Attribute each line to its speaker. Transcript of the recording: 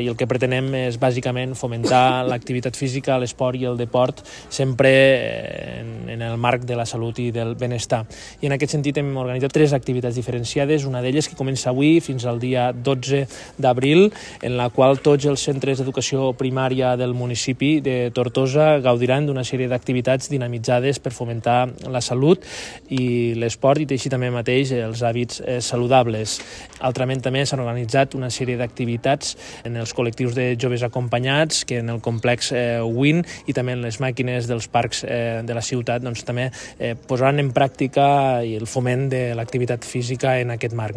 Speaker 1: I el que pretenem és bàsicament fomentar l'activitat física, l'esport i el deport sempre en el marc de la salut i del benestar. I en aquest sentit hem organitzat 3 activitats diferenciades, una d'elles que comença avui fins al dia 12 d'abril, en la qual tots els centres d'educació primària del municipi de Tortosa gaudiran d'una sèrie d'activitats dinamitzades per fomentar la salut i l'esport i així també mateix els hàbits saludables. Altrament també s'han organitzat una sèrie d'activitats en els col·lectius de joves acompanyats que en el complex WIN i també en les màquines dels parcs de la ciutat també posaran en pràctica el foment de l'activitat física en aquest marc.